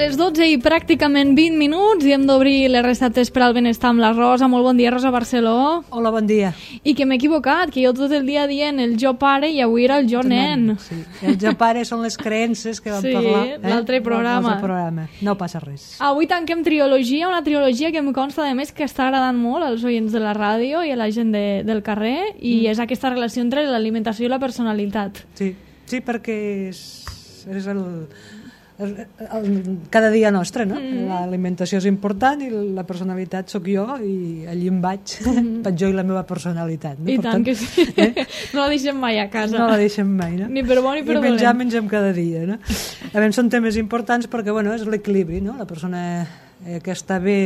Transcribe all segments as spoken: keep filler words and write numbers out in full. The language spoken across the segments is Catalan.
les dotze i pràcticament vint minuts i hem d'obrir les receptes per al benestar amb la Rosa. Molt bon dia, Rosa Barceló. Hola, bon dia. I que m'he equivocat, que jo tot el dia dient el jo pare i avui era el jo nen. Sí. El jo pare són les creences que vam sí, parlar. Sí, eh? l'altre programa. programa. No passa res. Avui tanquem triologia, una triologia que em consta de més que està agradant molt als oients de la ràdio i a la gent de, del carrer i mm. és aquesta relació entre l'alimentació i la personalitat. Sí, sí perquè és, és el... El, el, cada dia nostre, no? Mm. L'alimentació és important i la personalitat sóc jo i allí em vaig, mm. vaig jo i la meva personalitat. No? I per tant, tant que sí. Eh? No la deixem mai a casa. No la deixem mai, no? Ni per bo ni per I dolent. menjar mengem cada dia, no? A veure, són temes importants perquè, bueno, és l'equilibri, no? La persona eh, que està bé,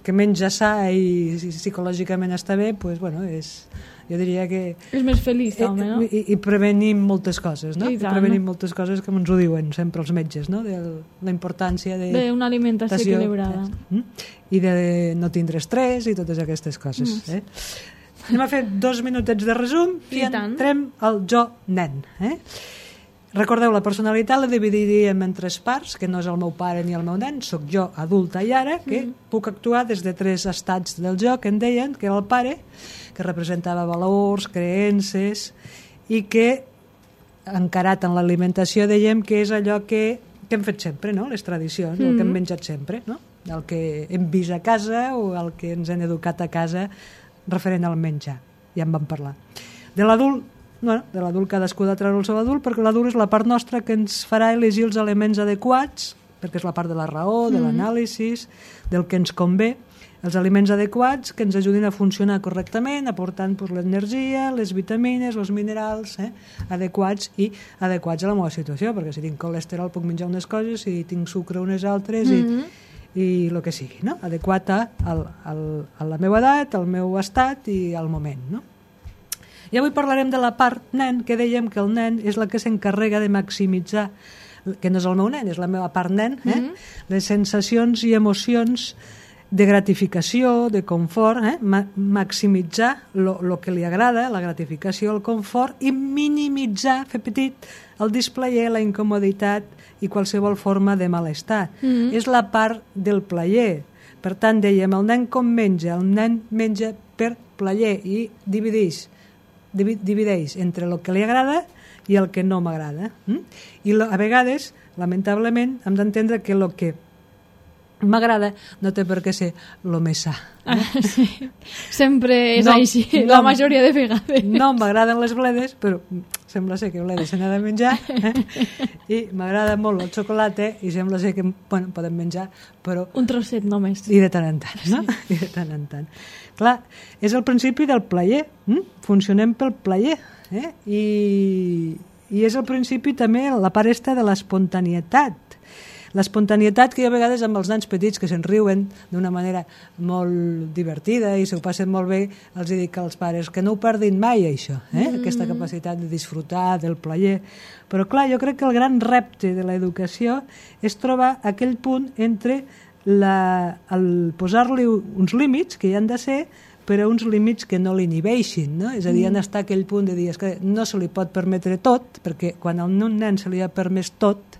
que menja sa i psicològicament està bé, pues, bueno, és... jo diria que... És més feliç, home, no? I, i prevenim moltes coses, no? I tant. Prevenim moltes coses que ens ho diuen sempre els metges, no? De la importància de... D'una alimentació equilibrada. I de no tindre estrès i totes aquestes coses. Mm. Eh? Anem a fer dos minutets de resum i, I entrem al jo nen. Eh? Recordeu, la personalitat la dividiríem en tres parts, que no és el meu pare ni el meu nen, sóc jo, adulta i ara, que mm. puc actuar des de tres estats del jo, que en deien, que era el pare, que representava valors, creences, i que, encarat en l'alimentació, dèiem que és allò que, que hem fet sempre, no? Les tradicions, mm. el que hem menjat sempre, no? El que hem vist a casa o el que ens han educat a casa referent al menjar. Ja en vam parlar. De l'adult, bueno, de l'adult cadascú ha de treure el seu adult, perquè l'adult és la part nostra que ens farà elegir els aliments adequats, perquè és la part de la raó, de l'anàlisi, del que ens convé, els aliments adequats que ens ajudin a funcionar correctament, aportant pues, l'energia, les vitamines, els minerals eh, adequats i adequats a la meva situació, perquè si tinc colesterol puc menjar unes coses, si tinc sucre unes altres mm-hmm. i, i el que sigui, no? Adequat a, a, a la meva edat, al meu estat i al moment, no? I avui parlarem de la part nen, que dèiem que el nen és la que s'encarrega de maximitzar, que no és el meu nen, és la meva part nen, eh? Mm-hmm. les sensacions i emocions de gratificació, de confort, eh? Ma maximitzar el que li agrada, la gratificació, el confort, i minimitzar, fer petit, el displayer, la incomoditat i qualsevol forma de malestar. Mm-hmm. És la part del plaer. Per tant, dèiem, el nen com menja? El nen menja per plaer i divideix, divideix entre el que li agrada i el que no m'agrada. Mm? I a vegades, lamentablement, hem d'entendre que el que m'agrada no té per què ser el més sa. Eh? Ah, sí. Sempre és no, així, no, la majoria de vegades. No m'agraden les bledes, però sembla ser que bledes se n'ha de menjar, eh? I m'agrada molt el xocolata i sembla ser que bueno, podem menjar, però... Un trosset només. I de tant en tant, no? Sí. I de tant en tant. Clar, és el principi del plaer, hm? Funcionem pel plaer, eh? I, i és el principi també la part esta de l'espontanietat. L'espontanietat que hi ha a vegades amb els nens petits que se'n riuen d'una manera molt divertida i s'ho passen molt bé, els dic als pares que no ho perdin mai, això, eh? Mm-hmm. Aquesta capacitat de disfrutar del plaer. Però clar, jo crec que el gran repte de l'educació és trobar aquell punt entre la, el posar-li uns límits que hi han de ser, però uns límits que no l'inhibeixin, no? És a dir, mm. estar aquell punt de dir que no se li pot permetre tot, perquè quan a un nen se li ha permès tot,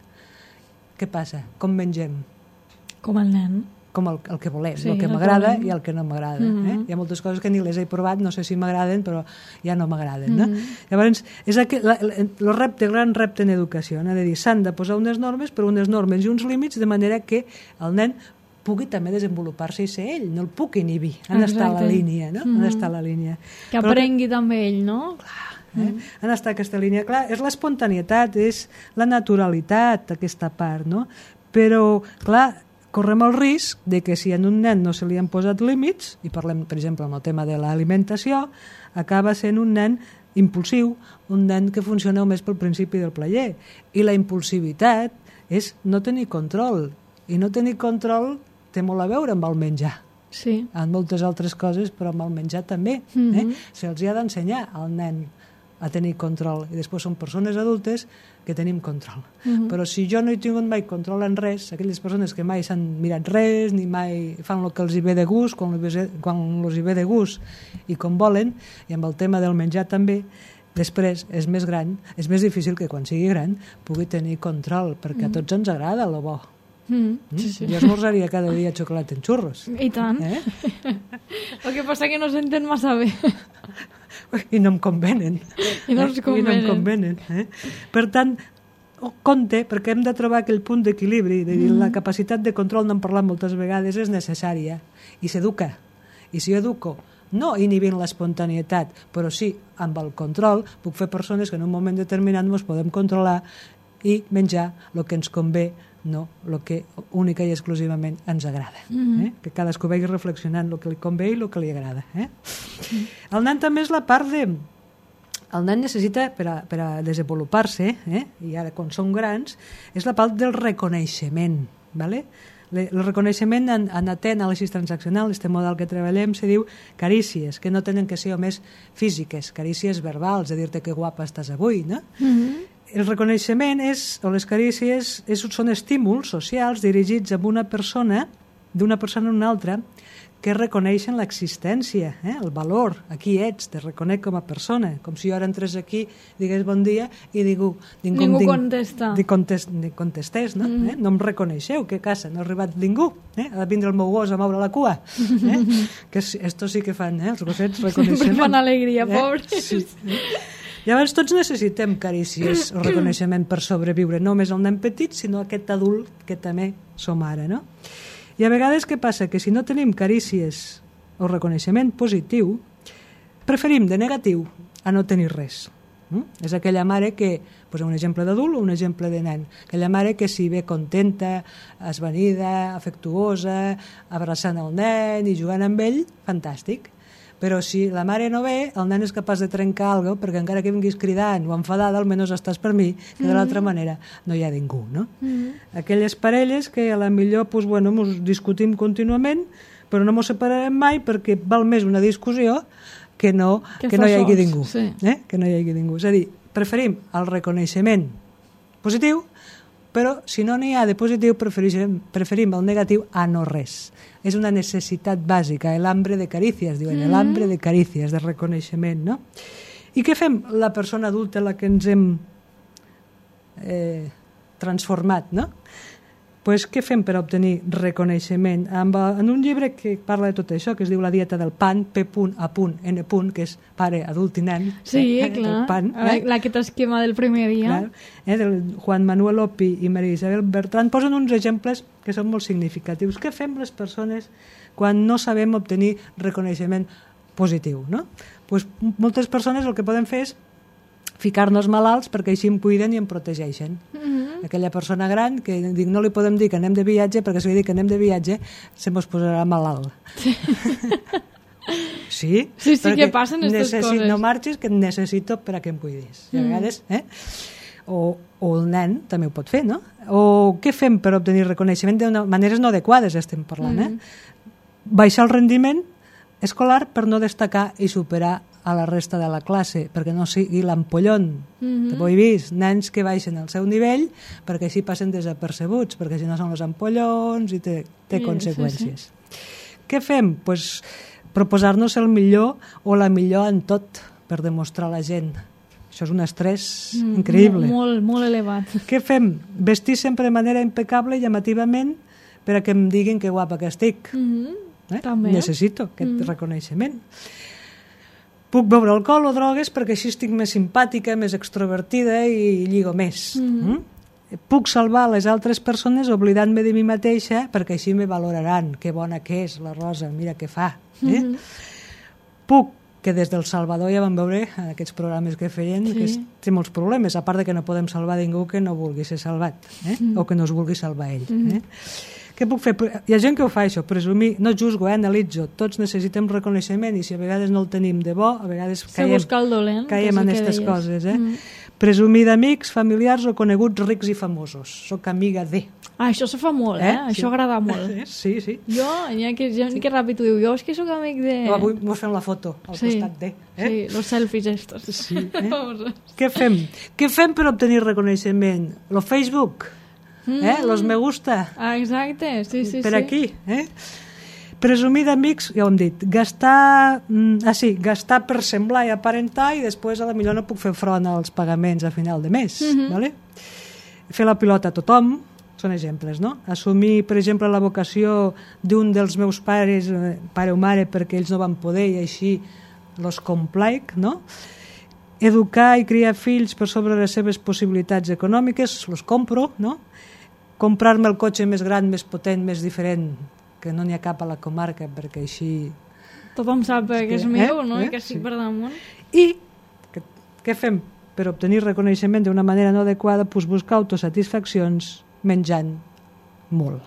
què passa? Com mengem? Com el nen. Com el, el que volem, sí, el que m'agrada i el que no m'agrada. Mm-hmm. eh? Hi ha moltes coses que ni les he provat, no sé si m'agraden, però ja no m'agraden. Mm-hmm. no? Llavors, és aqu... la, la, el repte, el gran repte en educació, no? De dir, s'han de posar unes normes, però unes normes i uns límits, de manera que el nen pugui també desenvolupar-se i ser ell, no el puc inhibir. Han d'estar a la línia, no? Mm-hmm. Han d'estar a la línia. Que aprengui que... també ell, no? Clar. Eh? Mm. Han d'estar aquesta línia. Clar, és l'espontanietat, és la naturalitat, aquesta part, no? Però, clar, correm el risc de que si en un nen no se li han posat límits, i parlem, per exemple, amb el tema de l'alimentació, acaba sent un nen impulsiu, un nen que funciona només pel principi del plaer. I la impulsivitat és no tenir control. I no tenir control té molt a veure amb el menjar. Sí. En moltes altres coses, però amb el menjar també. Mm-hmm. eh? Se'ls ha d'ensenyar al nen a tenir control, i després són persones adultes que tenim control. Mm-hmm. Però si jo no he tingut mai control en res, aquelles persones que mai s'han mirat res, ni mai fan el que els hi ve de gust, quan els hi ve de gust i com volen, i amb el tema del menjar també, després és més gran, és més difícil que quan sigui gran pugui tenir control, perquè mm. a tots ens agrada lo bo. Mm. Sí, sí. Jo esmorzaria cada dia xocolata en xurros. I tant. Eh? El que passa que no s'entén massa bé. I no em convenen. I no ens convenen. I no em convenen. Eh? Per tant, compte, perquè hem de trobar aquell punt d'equilibri, de dir, mm. la capacitat de control, n'hem parlat moltes vegades, és necessària i s'educa. I si jo educo no inhibint l'espontanietat, però sí amb el control, puc fer persones que en un moment determinat ens podem controlar i menjar el que ens convé, no el que única i exclusivament ens agrada. Mm-hmm. eh? Que cadascú vagi reflexionant el que li convé i el que li agrada. Eh? Mm. El nen també és la part de... El nen necessita, per a, per a desenvolupar-se, eh? i ara quan són grans, és la part del reconeixement, ¿vale? El reconeixement en, en anàlisi transaccional, este model que treballem, se diu carícies, que no tenen que ser només físiques, carícies verbals, de dir-te que guapa estàs avui, no? Mm-hmm. El reconeixement és, o les carícies és, són estímuls socials dirigits a una persona, d'una persona a una altra, que reconeixen l'existència, eh? el valor, aquí ets, te reconec com a persona, com si jo ara entrés aquí, digués bon dia i ningú, ningú, ningú ding, contesta. Contest, contestés, no? Mm. Eh? No em reconeixeu, què casa, no ha arribat ningú, eh? ha de vindre el meu gos a moure la cua, eh? que esto sí que fan, eh? els gossets reconeixement. Sempre fan alegria, eh? pobres. Sí. Eh? Llavors tots necessitem carícies o reconeixement per sobreviure, no només el nen petit, sinó aquest adult que també som ara, no? I a vegades què passa? Que si no tenim carícies o reconeixement positiu, preferim de negatiu a no tenir res. Mm? És aquella mare que, pues un exemple d'adult o un exemple de nen, aquella mare que si ve contenta, esvanida, afectuosa, abraçant el nen i jugant amb ell, fantàstic. Però si la mare no ve, el nen és capaç de trencar alguna cosa, perquè encara que vinguis cridant o enfadada, almenys estàs per mi, que de l'altra manera no hi ha ningú, no? Mm-hmm. Aquelles parelles que a la millor pues, bueno, mos discutim contínuament, però no mos separarem mai perquè val més una discussió que no, que que no hi hagi sols, ningú. Sí. Eh? Que no hi hagi ningú. És a dir, preferim el reconeixement positiu, però si no n'hi ha de positiu preferim, preferim el negatiu a no res. És una necessitat bàsica, el hambre de carícies, diuen, mm-hmm. el hambre de carícies, de reconeixement, no? I què fem la persona adulta en la que ens hem eh, transformat, no? Pues, què fem per obtenir reconeixement? Amb, en un llibre que parla de tot això, que es diu La dieta del pan, P A N, que és pare, adult i nen. Sí, eh, clar, pan, eh? aquest esquema del primer dia. Clar, eh, del Juan Manuel Opi i Maria Isabel Bertran posen uns exemples que són molt significatius. Què fem les persones quan no sabem obtenir reconeixement positiu, no? Pues, moltes persones el que poden fer és ficar-nos malalts perquè així em cuiden i em protegeixen. Mm-hmm. Aquella persona gran que dic, no li podem dir que anem de viatge perquè si li dic que anem de viatge se mos posarà malalt. Sí, sí, sí, sí que passen aquestes coses. No marxis que et necessito per a que em cuidis. Mm. A vegades, eh? O, o el nen també ho pot fer, no? O què fem per obtenir reconeixement de maneres no adequades estem parlant, mm. eh? Baixar el rendiment escolar per no destacar i superar a la resta de la classe, perquè no sigui l'ampollon. Mm-hmm. Ho he vist, nens que baixen al seu nivell perquè així passen desapercebuts, perquè si no són els ampollons i té, té sí, conseqüències. Sí, sí. Què fem? Pues, proposar-nos el millor o la millor en tot per demostrar a la gent. Això és un estrès mm, increïble. Molt, molt elevat. Què fem? Vestir sempre de manera impecable i llamativament per a que em diguin que guapa que estic. Mm-hmm. eh? També. Necessito aquest mm-hmm. reconeixement. Puc beure alcohol o drogues perquè així estic més simpàtica, més extrovertida i lligo més. Mm-hmm. Mm? Puc salvar les altres persones oblidant-me de mi mateixa perquè així me valoraran. Que bona que és la Rosa, mira què fa. Eh? Mm-hmm. Puc, que des del Salvador ja vam veure en aquests programes que feien, sí. que té molts problemes, a part de que no podem salvar ningú que no vulgui ser salvat, eh? mm. o que no es vulgui salvar ell. Mm-hmm. Eh? Què puc fer? Hi ha gent que ho fa això, presumir, no juzgo, eh, analitzo, tots necessitem reconeixement i si a vegades no el tenim de bo, a vegades caiem, dolent, caiem en aquestes coses. Eh? Mm. Presumir d'amics, familiars o coneguts rics i famosos. Soc amiga de... Ah, això se fa molt, eh? eh? Això sí. agrada molt. Sí, sí. Jo, ja que, ja sí. que ràpid ho diu, jo és que sóc amic de... No, avui mos fem la foto al sí. costat de... Eh? Sí, los selfies estos. Sí, eh? Què fem? Què fem per obtenir reconeixement? Lo Facebook? Mm. Eh? Los me gusta. Ah, exacte, sí, sí. Per sí. aquí, eh? Presumir d'amics, ja ho hem dit, gastar, ah, sí, gastar per semblar i aparentar i després a la millor no puc fer front als pagaments a final de mes. Mm-hmm. Vale? Fer la pilota a tothom, són exemples, no? Assumir, per exemple, la vocació d'un dels meus pares, pare o mare, perquè ells no van poder i així los complaic, no? Educar i criar fills per sobre les seves possibilitats econòmiques, los compro, no? Comprar-me el cotxe més gran, més potent, més diferent, que no n'hi ha cap a la comarca, perquè així... Tothom sap que és meu, no? I que estic per damunt. I què fem per obtenir reconeixement d'una manera no adequada? Doncs buscar autosatisfaccions menjant molt.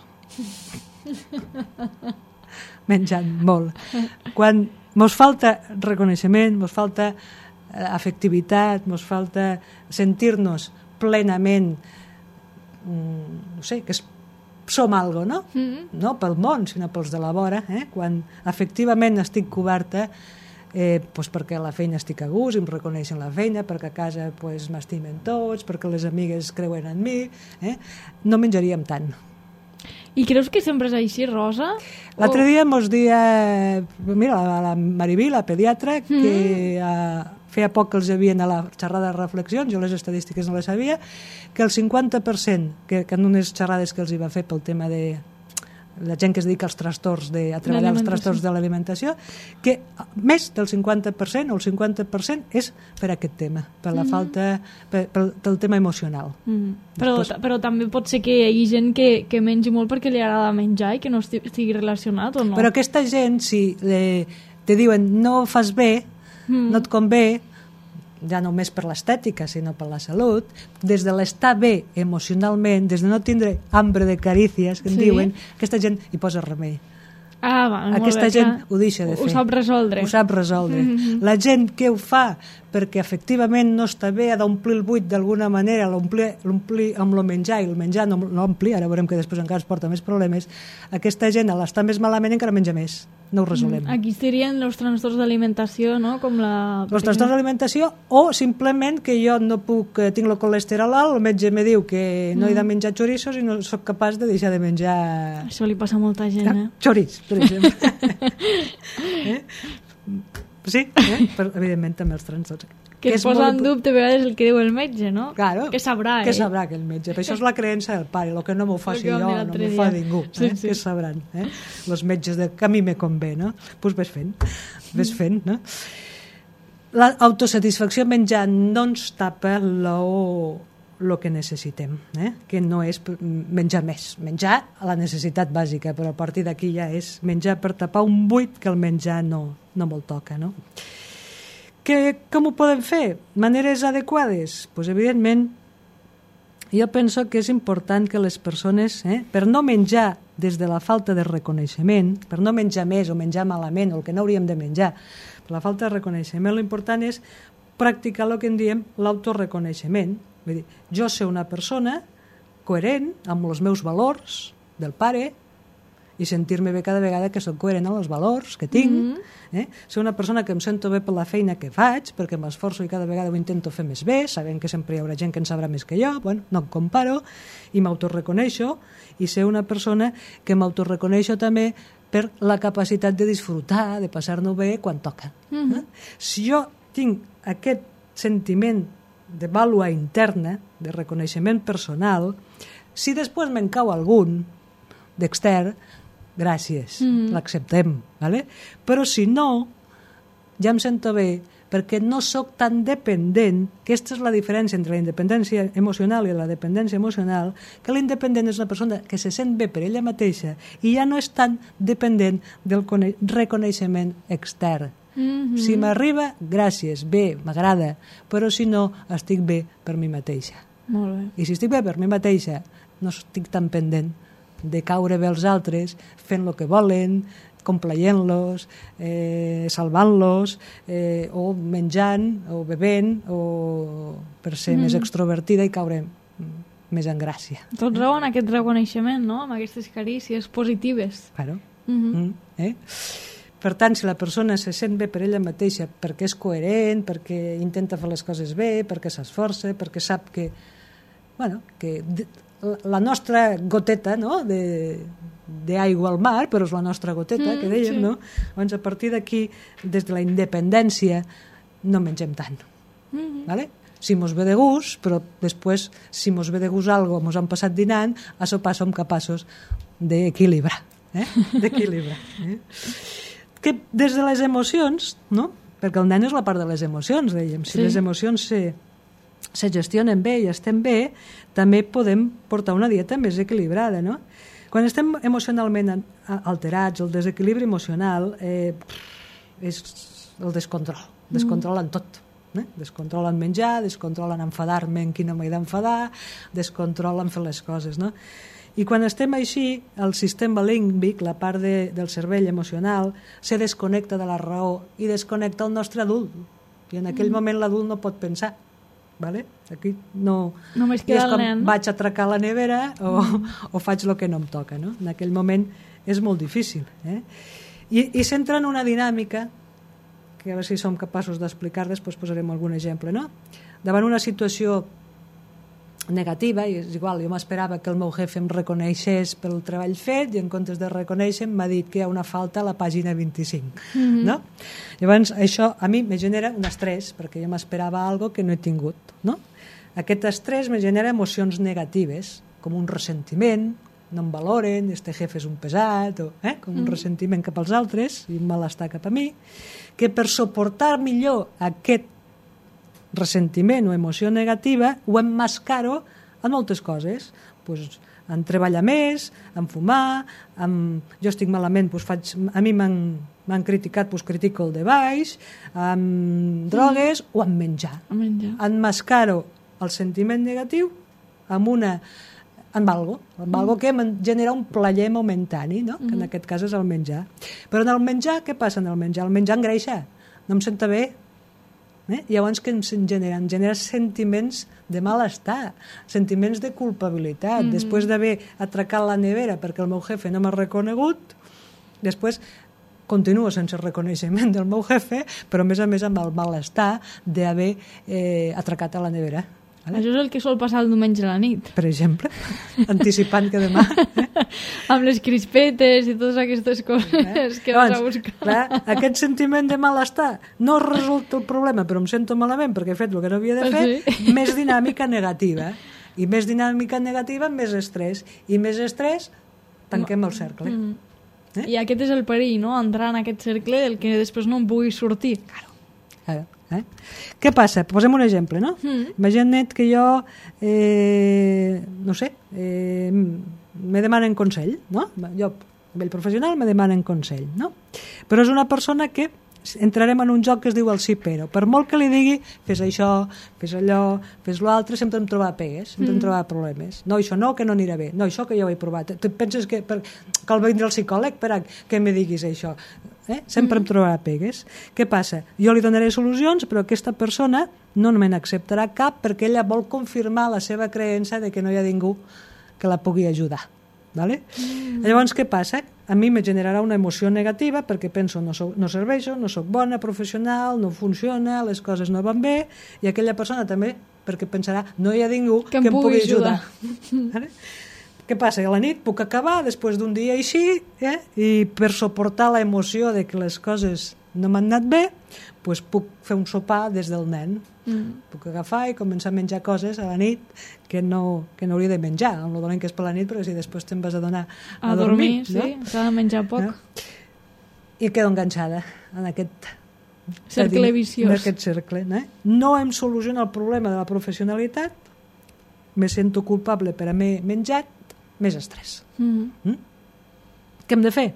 Menjant molt. Quan mos falta reconeixement, mos falta afectivitat, mos falta sentir-nos plenament, no sé, que som algo, no? Mm-hmm. No pel món, sinó pels de la vora. Eh? Quan efectivament estic coberta, eh, pues perquè a la feina estic a gust, em reconeixen la feina, perquè a casa pues, m'estimen tots, perquè les amigues creuen en mi, eh? No menjaríem tant. I creus que sempre és així, Rosa? L'altre o... dia mos dia, mira, la, la Mariví, la pediatra, mm-hmm. que eh, feia poc que els havien a la xerrada de reflexions, jo les estadístiques no les sabia, que el cinquanta per cent, que, que en unes xerrades que els hi va fer pel tema de la gent que es dedica als trastorns de, a treballar els trastorns de l'alimentació, que més del cinquanta per cent o el cinquanta per cent és per aquest tema, per la mm-hmm. falta, per, per, pel tema emocional. Mm-hmm. Però, Després... però també pot ser que hi hagi gent que, que mengi molt perquè li agrada menjar i que no estigui relacionat o no? Però aquesta gent, si le, te diuen no fas bé, mm. no et convé, ja no només per l'estètica, sinó per la salut, des de l'estar bé emocionalment, des de no tindre hambre de carícies, que en sí? diuen, aquesta gent hi posa remei. Ah, va, aquesta bé, gent clar. Ho deixa de fer. Ho sap resoldre. Ho sap resoldre. Mm-hmm. La gent que ho fa perquè efectivament no està bé, ha d'omplir el buit d'alguna manera, l'omplir amb el menjar, i el menjar no l'omplir, ara veurem que després encara es porta més problemes, aquesta gent a l'estar més malament encara menja més. No ho resolem. Mm, aquí serien els trastorns d'alimentació, no? Com la... Els trastorns d'alimentació, o simplement que jo no puc, tinc el colesterol alt, el metge me diu que no mm. he de menjar xorissos i no sóc capaç de deixar de menjar... Això li passa a molta gent, eh? Xoriç, per exemple. eh? Sí, eh? Però, evidentment també els trastorns. Que, que es posa en dubte a vegades el que diu el metge, no? Claro. Que sabrà, eh? Que sabrà aquell metge. Per això és la creença del pare. El que no m'ho faci jo, no m'ho fa ningú. Eh? Sí, sí. Que sabran, eh? Els metges de que a mi me convé, no? Doncs pues ves fent. Ves fent, no? L'autosatisfacció menjant no ens tapa lo, lo que necessitem, eh? Que no és menjar més. Menjar a la necessitat bàsica, però a partir d'aquí ja és menjar per tapar un buit que el menjar no, no me'l toca, no? Que, com ho podem fer? Maneres adequades? Pues, evidentment, jo penso que és important que les persones, eh, per no menjar des de la falta de reconeixement, per no menjar més o menjar malament, o el que no hauríem de menjar, per la falta de reconeixement, l'important és practicar el que en diem l'autoreconeixement. Vull dir, jo ser una persona coherent amb els meus valors del pare i sentir-me bé cada vegada que soc coherent amb els valors que tinc, mm-hmm. eh? Ser una persona que em sento bé per la feina que faig, perquè m'esforço i cada vegada ho intento fer més bé, sabent que sempre hi haurà gent que en sabrà més que jo, bueno, no em comparo, i m'autoreconeixo, i ser una persona que m'autoreconeixo també per la capacitat de disfrutar, de passar-nos bé quan toca. Mm-hmm. eh? Si jo tinc aquest sentiment de vàlua interna, de reconeixement personal, si després me'n cau algun d'extern, gràcies, mm-hmm. l'acceptem, ¿vale? Però si no, ja em sento bé, perquè no sóc tan dependent, que aquesta és la diferència entre la independència emocional i la dependència emocional, que la independent és una persona que se sent bé per ella mateixa i ja no és tan dependent del reconeixement extern. Mm-hmm. Si m'arriba, gràcies, bé, m'agrada, però si no, estic bé per mi mateixa. Molt bé. I si estic bé per mi mateixa, no estic tan pendent de caure bé els altres, fent el que volen, complaient-los, eh, salvant-los, eh, o menjant, o bevent, o per ser mm. més extrovertida i caure més en gràcia. Tot raó en aquest reconeixement, no? Amb aquestes carícies positives. Claro. Mm-hmm. Mm, eh? Per tant, si la persona se sent bé per ella mateixa, perquè és coherent, perquè intenta fer les coses bé, perquè s'esforça, perquè sap que, bueno, que la nostra goteta, no?, de, d'aigua al mar, però és la nostra goteta, mm, que dèiem, sí. no? Llavors, a partir d'aquí, des de la independència, no mengem tant. Mm-hmm. Vale? Si mos ve de gust, però després, si mos ve de gust algo, mos han passat dinant, a sopar som capaços d'equilibrar. Eh? D'equilibrar. Eh? Que des de les emocions, no? Perquè el nen és la part de les emocions, dèiem. Si sí. les emocions se, se gestionen bé i estem bé, també podem portar una dieta més equilibrada, no? Quan estem emocionalment alterats, el desequilibri emocional eh, és el descontrol. Descontrolen mm. tot. Eh? Descontrolen menjar, descontrolen enfadar-me en qui no m'he d'enfadar, descontrolen fer les coses, no? I quan estem així, el sistema límbic, la part de, del cervell emocional, se desconnecta de la raó i desconnecta el nostre adult. I en aquell mm. moment l'adult no pot pensar. Vale? Aquí no... Només queda el nen. Vaig a atracar la nevera o, mm. o faig el que no em toca. No? En aquell moment és molt difícil. Eh? I, I s'entra en una dinàmica que a veure si som capaços d'explicar, després posarem algun exemple. No? Davant una situació negativa, i és igual, jo m'esperava que el meu jefe em reconeixés pel treball fet i en comptes de reconèixer m'ha dit que hi ha una falta a la pàgina vint-i-cinc. Mm-hmm. No? Llavors això a mi me genera un estrès perquè jo m'esperava algo que no he tingut. No? Aquest estrès me genera emocions negatives, com un ressentiment, no em valoren, este jefe és un pesat, o, eh? com un mm-hmm. ressentiment cap als altres i un malestar cap a mi, que per suportar millor aquest ressentiment o emoció negativa ho emmascaro en moltes coses, pues, en treballar més, en fumar, en... jo estic malament, pues, faig... a mi m'han criticat, pues, critico el de baix, en drogues mm. o en menjar. menjar. Emmascaro el sentiment negatiu amb una amb algo, amb mm. algo que em genera un plaer momentani, no? Mm. que en aquest cas és el menjar. Però en el menjar, què passa en el menjar? El menjar engreixa, no em senta bé. Eh? Llavors que ens genera? Ens genera sentiments de malestar, sentiments de culpabilitat. Mm-hmm. Després d'haver atracat la nevera perquè el meu jefe no m'ha reconegut, després continuo sense reconeixement del meu jefe, però a més a més amb el malestar d'haver eh, atracat a la nevera. Vale? Això és el que sol passar el diumenge a la nit. Per exemple, anticipant que demà... Eh? Amb les crispetes i totes aquestes coses eh? que vas a buscar. Clar, aquest sentiment de malestar no resulta el problema, però em sento malament perquè he fet el que no havia de fer, sí. més dinàmica negativa. I més dinàmica negativa, més estrès. I més estrès, tanquem el cercle. Mm. Eh? I aquest és el perill, no? Entrar en aquest cercle del que després no en pugui sortir. Claro. Claro. Eh? Què passa? Posem un exemple, no? Mm. Imagina't que jo, eh, no sé, eh, me demanen consell, no? Jo, a nivell professional, me demanen consell, no? Però és una persona que entrarem en un joc que es diu el sí però. Per molt que li digui, fes això, fes allò, fes l'altre, sempre em trobarà pegues, sempre mm. em trobarà problemes. No, això no, que no anirà bé. No, això que ja ho he provat. Tu penses que per, cal vindre al psicòleg per a que me diguis això? Eh? Sempre mm. em trobarà pegues. Què passa? Jo li donaré solucions, però aquesta persona no me n'acceptarà cap perquè ella vol confirmar la seva creença de que no hi ha ningú que la pugui ajudar. Vale? Mm. Llavors, què passa? A mi me generarà una emoció negativa perquè penso no, soc, no serveixo, no sóc bona professional, no funciona, les coses no van bé, i aquella persona també perquè pensarà no hi ha ningú que, que em pugui ajudar. ajudar. Vale? Què passa? A la nit puc acabar després d'un dia així, eh? I per suportar la emoció de que les coses no m'han anat bé, doncs puc fer un sopar des del nen. Mm. Puc agafar i començar a menjar coses a la nit que no, que no hauria de menjar, amb el dolent que és per la nit, perquè si després te'n vas a donar a, a dormir, dormir, no? Sí, s'ha de menjar poc. No? I quedo enganxada en aquest cercle viciós. En aquest cercle, no? No em soluciona el problema de la professionalitat, me sento culpable per haver menjat, més estrès. Mm. Mm? Què hem de fer?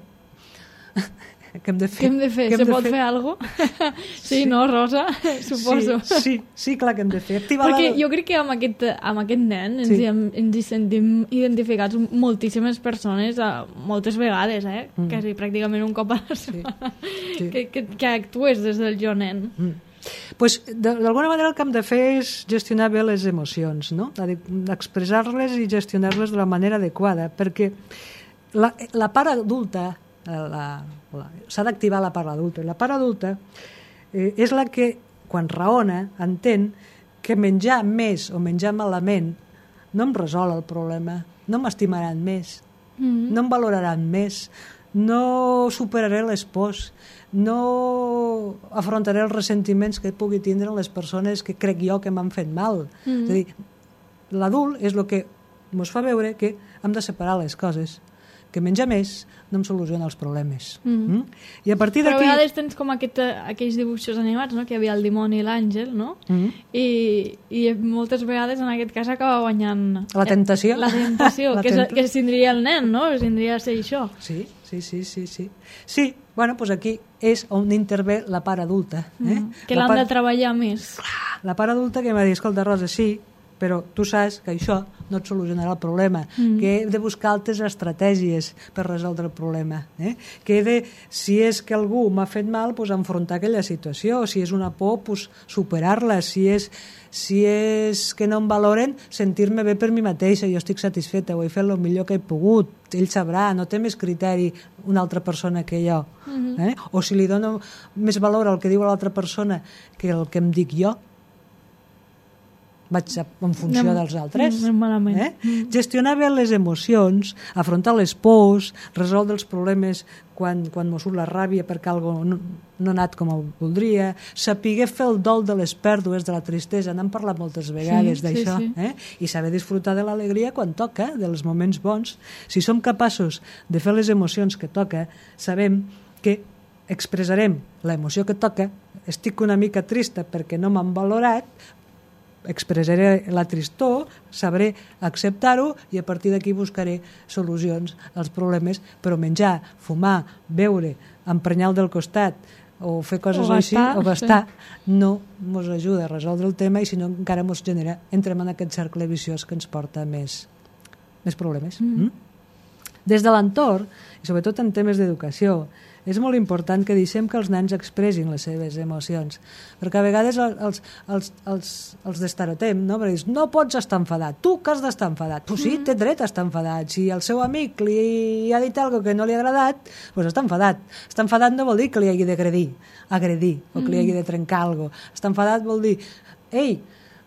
Què hem de fer? Què hem de fer? Se pot fer, fer alguna cosa? Sí, sí, no, Rosa? Suposo. Sí, sí, sí, clar que hem de fer. Activar Perquè la... jo crec que amb aquest, amb aquest nen ens, sí. hi, ens hi sentim identificats moltíssimes persones, moltes vegades, eh? Mm. Quasi pràcticament un cop a la setmana, sí. Sí. Que, que, que actues des del jo nen. Mm. Pues, d'alguna manera el que hem de fer és gestionar bé les emocions, no? Expressar-les i gestionar-les de la manera adequada, perquè la, la part adulta la, la, s'ha d'activar la part adulta. La part adulta eh, és la que, quan raona, entén que menjar més o menjar malament no em resol el problema, no m'estimaran més, Mm-hmm. No em valoraran més, no superaré les pors, no afrontaré els ressentiments que pugui tindre les persones que crec jo que m'han fet mal. Mm-hmm. És a dir, l'adult és el que ens fa veure que hem de separar les coses, que menjar més no em soluciona els problemes. Mm-hmm. Mm? I a partir d'aquí... Però a vegades tens com aquest, aquells dibuixos animats, no? Que hi havia el dimoni i l'àngel, no? Mm-hmm. I, I moltes vegades en aquest cas acaba guanyant... La tentació. La tentació, la que, tenta... que tindria el nen, no? Tindria de ser això. Sí, sí, sí, sí. Sí, sí, bueno, doncs aquí és on intervé la part adulta. Eh? Mm, que l'han part... de treballar més. La part adulta que m'ha dit, escolta, Rosa, sí, però tu saps que això no et solucionarà el problema, mm. que he de buscar altres estratègies per resoldre el problema, eh? Que he de, si és que algú m'ha fet mal, pues, enfrontar aquella situació, si és una por, pues, superar-la, si és, si és que no em valoren, sentir-me bé per mi mateixa, jo estic satisfeta, ho he fet el millor que he pogut, ell sabrà, no té més criteri una altra persona que jo, mm-hmm. eh? O si li dono més valor al que diu l'altra persona que el que em dic jo, vaig en funció anem, dels altres. Malament. Eh? Mm. Gestionar bé les emocions, afrontar les pors, resoldre els problemes quan, quan m'ho surt la ràbia perquè algo no, no ha anat com ho voldria, saber fer el dol de les pèrdues, de la tristesa, n'hem parlat moltes vegades sí, d'això, sí, sí. Eh? I saber disfrutar de l'alegria quan toca, dels moments bons. Si som capaços de fer les emocions que toca, sabem que expressarem l'emoció que toca, estic una mica trista perquè no m'han valorat, expressaré la tristor, sabré acceptar-ho i a partir d'aquí buscaré solucions als problemes, però menjar, fumar, beure, emprenyar el del costat o fer coses o així, gastar, o gastar, sí. No ens ajuda a resoldre el tema i si no encara ens genera, entrem en aquest cercle viciós que ens porta més, més problemes. Mm. Mm? Des de l'entorn, i sobretot en temes d'educació, és molt important que deixem que els nens expressin les seves emocions, perquè a vegades els, els, els, els destarotem, no? Perquè dius, no pots estar enfadat, tu que has d'estar enfadat, tu sí, té dret a estar enfadat, si el seu amic li ha dit alguna que no li ha agradat, doncs està enfadat. Estar enfadat no vol dir que li hagi d'agredir, agredir, o que li hagi de trencar alguna cosa. Estar enfadat vol dir, ei,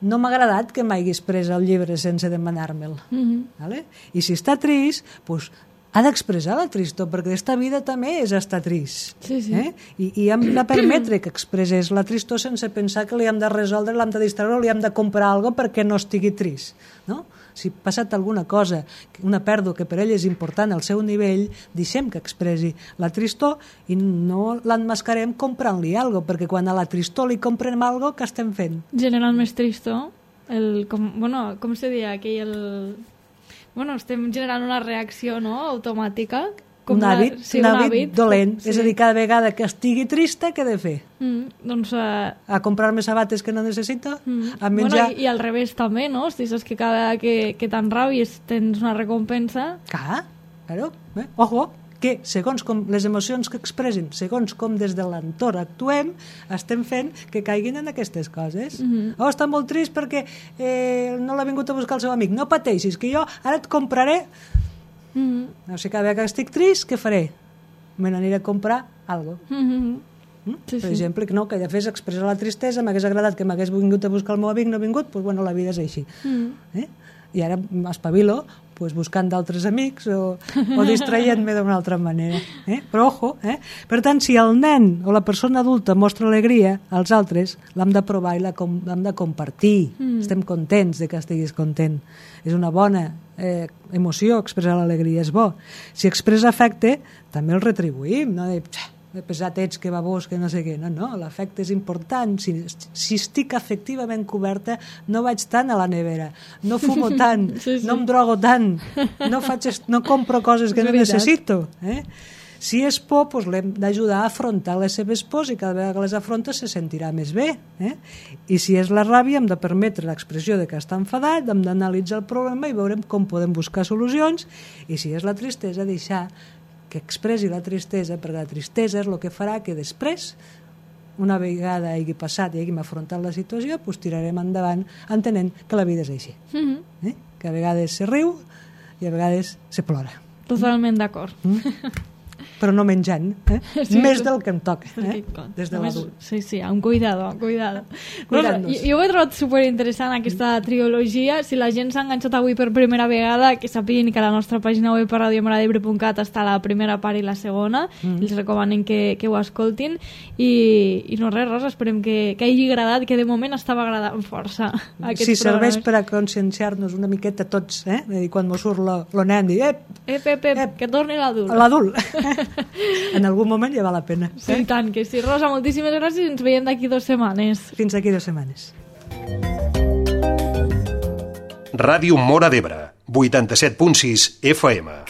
no m'ha agradat que m'haguis pres el llibre sense demanar-me'l. Mm-hmm. Vale? I si està trist, doncs ha d'expressar la tristor, perquè aquesta vida també és estar trist. Sí, sí. Eh? I, I hem de permetre que expressés la tristor sense pensar que li hem de resoldre, l'hem de distreure o li hem de comprar alguna cosa perquè no estigui trist. No? Si ha passat alguna cosa, una pèrdua que per ell és important al seu nivell, deixem que expressi la tristor i no l'emmascarem comprant-li alguna cosa, perquè quan a la tristor li comprem alguna cosa, què estem fent? Generant més tristor. El, com, bueno, com se diria aquell... El... Bueno, estem generant una reacció, no?, automàtica. Com un hàbit, la, sí, un, un hàbit, hàbit dolent. Sí. És a dir, cada vegada que estigui trista, què he de fer? Mm, doncs... Uh... A comprar-me sabates que no necessito? Mm. A menjar... Bueno, i, i al revés també, no? Si saps que cada vegada que, que t'enrabies tens una recompensa... Clar, claro. Eh? Ojo, que segons com les emocions que expressen, segons com des de l'entorn actuem, estem fent que caiguin en aquestes coses. Mm-hmm. Oh, està molt trist perquè eh, no l'ha vingut a buscar el seu amic. No pateixis, que jo ara et compraré... Mm-hmm. No sé, cada vegada que estic trist, què faré? Me n'aniré a comprar alguna cosa. Mm-hmm. Mm? Sí, per sí. exemple, que no, que ja fes expressar la tristesa, m'hagués agradat que m'hagués vingut a buscar el meu amic, no ha vingut, doncs bueno, la vida és així. Mm. Eh? I ara m'espavilo pues, buscant d'altres amics o, o distraient-me d'una altra manera. Eh? Però ojo, eh? Per tant, si el nen o la persona adulta mostra alegria als altres, l'hem de provar i l'hem de compartir. Mm. Estem contents de que estiguis content. És una bona eh, emoció expressar l'alegria, és bo. Si expressa afecte, també el retribuïm, no? De, pesat ets, que babós, que no sé què. No, no, l'afecte és important. Si, si estic afectivament coberta, no vaig tant a la nevera, no fumo tant, sí, sí. no em drogo tant, no, faig, no compro coses que no necessito. Eh? Si és por, doncs l'hem d'ajudar a afrontar les seves pors i cada vegada que les afronta se sentirà més bé. Eh? I si és la ràbia, hem de permetre l'expressió de que està enfadat, hem d'analitzar el problema i veurem com podem buscar solucions. I si és la tristesa, deixar que expressi la tristesa, perquè la tristesa és el que farà que després, una vegada hagi passat i hàgim afrontat la situació, doncs tirarem endavant entenent que la vida és així. Mm-hmm. eh? Que a vegades se riu i a vegades se plora. Totalment d'acord. Mm? però no menjant, eh? Sí, més del que em toca, eh? Des de l'adult. Sí, sí, un cuidado, cuidado. Rosa, jo, jo ho he trobat superinteressant aquesta trilogia. Si la gent s'ha enganxat avui per primera vegada, que sàpiguen que a la nostra pàgina web a radio maradebre punt cat està la primera part i la segona, mm. els recomanen que, que ho escoltin, i, i no res, Rosa, esperem que, que hagi agradat, que de moment estava agradant força aquest sí, serveix per a conscienciar-nos una miqueta tots, eh? I quan mos surt lo, lo nen, dir, ep, ep, ep, ep, ep, que torni l'adult. L'adult. En algun moment ja val la pena. Sí, eh? Tant que sí. Rosa, moltíssimes gràcies i ens veiem d'aquí dues setmanes. Fins d'aquí dues setmanes. Ràdio Móra d'Ebre, vuitanta-set punt sis F M.